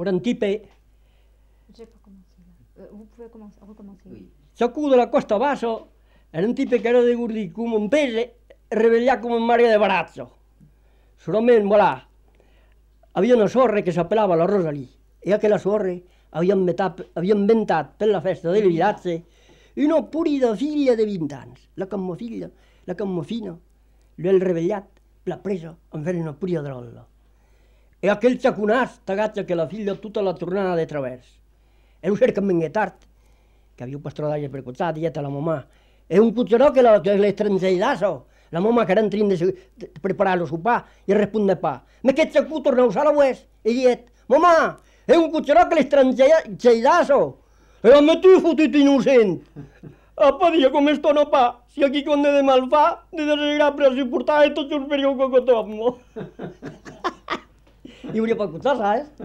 pour un type. J'ai pas commencé là. Vous pouvez recommencer. Oui. Sacú de la costa basso, era un type che era de gurdi come un pese, reveglià come un mare de barazzo. Solamente, voilà, havia una sorra che s'appellava la Rosalì, e aquella sorra havia inventat per la festa delle ragazze una purida figlia de 20 anys. La cammofiglia, la cammofina, l'ha revegliat, l'ha presa en fer una purida drolla. E aquell xaconàs t'agatxa que la figlia tutta la tornada de travers. E lo cerca ben tard, que havia un pastrollatge per costat, i a la mamà. E un cuccerò che l'estrangeirasso, la mamà che era entrint de preparar lo sopar, i responde pa. Ma aquest xacú torna a usar la ues? E diet, mamà, è un cuccerò che l'estrangeirasso. E a me tu fotit innocent. Apa, dia, com esto no pa, si aquí quan de mal fa, de desagrar per si portar i tot un perió cocotommo. I hauria per cucciar, saps?